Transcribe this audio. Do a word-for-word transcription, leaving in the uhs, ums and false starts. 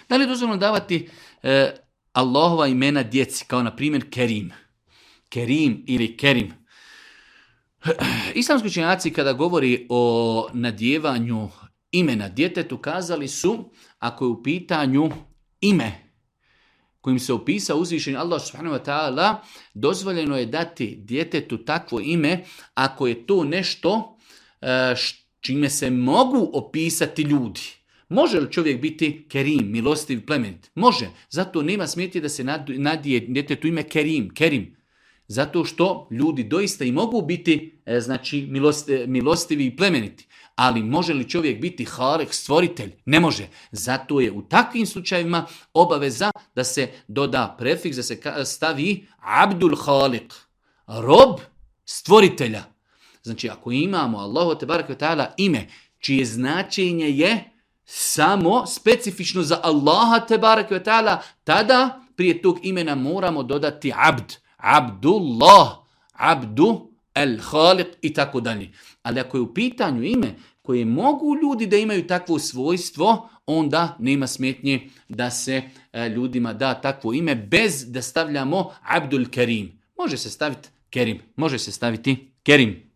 Da li je dozvoljeno davati e, Allahova imena djeci, kao na primjer Kerim? Kerim ili Kerim. Islamski učenjaci kada govori o nadjevanju imena djetetu kazali su, ako je u pitanju ime kojim se opisao uzvišeni Allah subhanahu wa ta'ala, dozvoljeno je dati djetetu takvo ime ako je to nešto e, čime se mogu opisati ljudi. Može li čovjek biti Kerim, milostiv, plemenit? Može. Zato nema smetnje da se nadije djetetu ime Kerim, Kerim. Zato što ljudi doista i mogu biti e, znači milosti, milostivi i plemeniti. Ali može li čovjek biti Halik, stvoritelj? Ne može. Zato je u takvim slučajevima obaveza da se doda prefiks, da se stavi Abdul Halik, rob stvoritelja. Znači ako imamo Allahu tebareke ve taala ime čije značenje je samo specifično za Allaha tebareke ve taala, tada prije tog imena moramo dodati abd, Abdullah, Abdu, El Halik i tako dalje. Ali ako je u pitanju ime koje mogu ljudi da imaju takvo svojstvo, onda nema smetnje da se ljudima da takvo ime bez da stavljamo Abdul Kerim. Može se staviti Kerim, može se staviti Kerim.